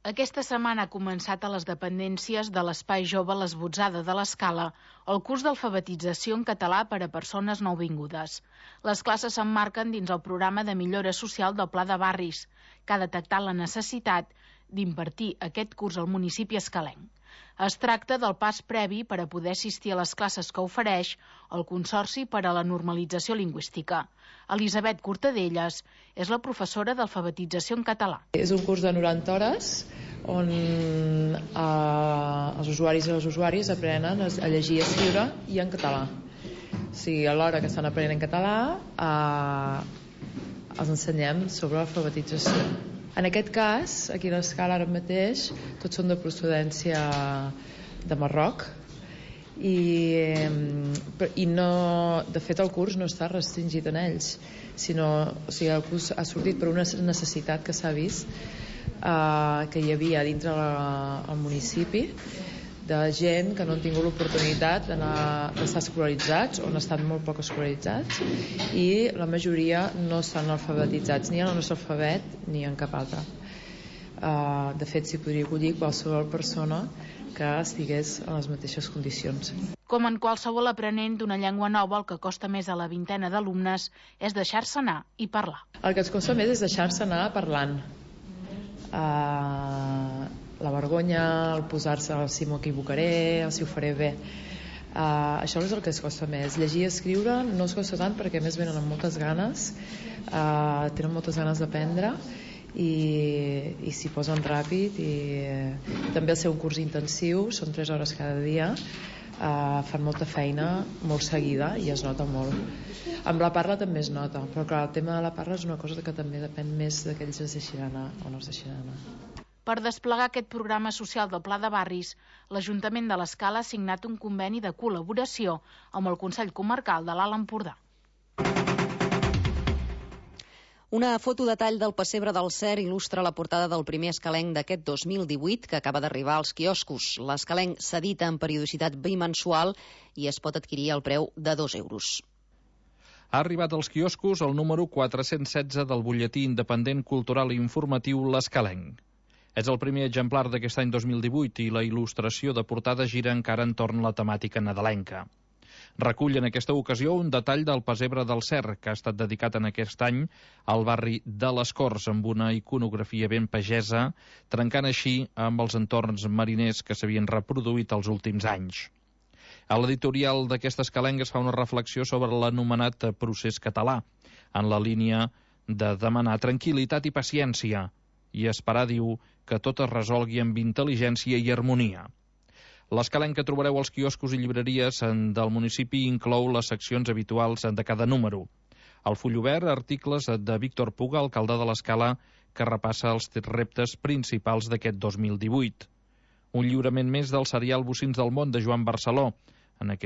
Aquesta setmana ha començat a les dependències de l'Espai Jove l'Esbotzada de l'Escala el curs d'alfabetització en català per a persones nouvingudes. Les classes s'emmarquen dins el programa de millora social del Pla de Barris, que ha detectat la necessitat d'impartir aquest curs al municipi escalenc. Es tracta del pas previ per a poder assistir a les classes que ofereix el Consorci per a la Normalització Lingüística. Elisabet Cortadelles és la professora d'alfabetització en català. És un curs de 90 hores on els usuaris i les usuàries aprenen a llegir i escriure i en català. O sigui, a l'hora que estan aprenent en català els ensenyem sobre l'alfabetització. En aquest cas, aquí a l'Escala ara mateix, tots són de procedència de Marroc i no, de fet el curs no està restringit en ells, sinó, o sigui, el curs ha sortit per una necessitat que s'ha vist que hi havia dintre el municipi de gent que no han tingut l'oportunitat d'estar escolaritzats o han estat molt poc escolaritzats i la majoria no estan alfabetitzats ni en el nostre alfabet ni en cap altre. De fet, s'hi podria acollir qualsevol persona que estigués en les mateixes condicions. Com en qualsevol aprenent d'una llengua nova, el que costa més a la vintena d'alumnes és deixar-se anar i parlar. El que ens costa més és deixar-se anar parlant. La vergonya, el posar-se si m'ho equivocaré, si ho faré bé. Això és el que es costa més. Llegir i escriure no es costa tant perquè més venen amb moltes ganes, tenen moltes ganes d'aprendre i s'hi posen ràpid i també al ser un curs intensiu, són 3 hores cada dia, fan molta feina molt seguida i es nota molt. Amb la parla també es nota, però clar, el tema de la parla és una cosa que també depèn més de que ells es deixin anar o no es deixin anar. Per desplegar aquest programa social del Pla de Barris, l'Ajuntament de l'Escala ha signat un conveni de col·laboració amb el Consell Comarcal de l'Alt Empordà. Una foto detall del pessebre del Cer il·lustra la portada del primer escalenc d'aquest 2018 que acaba d'arribar als quioscos. L'escalenc s'edita en periodicitat bimensual i es pot adquirir al preu de 2 euros. Ha arribat als quioscos el número 416 del butlletí independent cultural i informatiu L'Escalenc. És el primer exemplar d'aquest any 2018 i la il·lustració de portada gira encara entorn la temàtica nadalenca. Recull en aquesta ocasió un detall del pessebre del Cer, que ha estat dedicat en aquest any al barri de les Corts, amb una iconografia ben pagesa, trencant així amb els entorns mariners que s'havien reproduït els últims anys. A l'editorial d'aquest escalenc es fa una reflexió sobre l'anomenat procés català, en la línia de demanar tranquil·litat i paciència, i esperar, diu, que tot es resolgui amb intel·ligència i harmonia. L'escalenc que trobareu als quioscos i llibreries del municipi inclou les seccions habituals de cada número. Al full obert, articles de Víctor Puga, alcalde de l'Escala, que repassa els reptes principals d'aquest 2018. Un lliurament més del serial Bocins del món de Joan Barceló. En aquest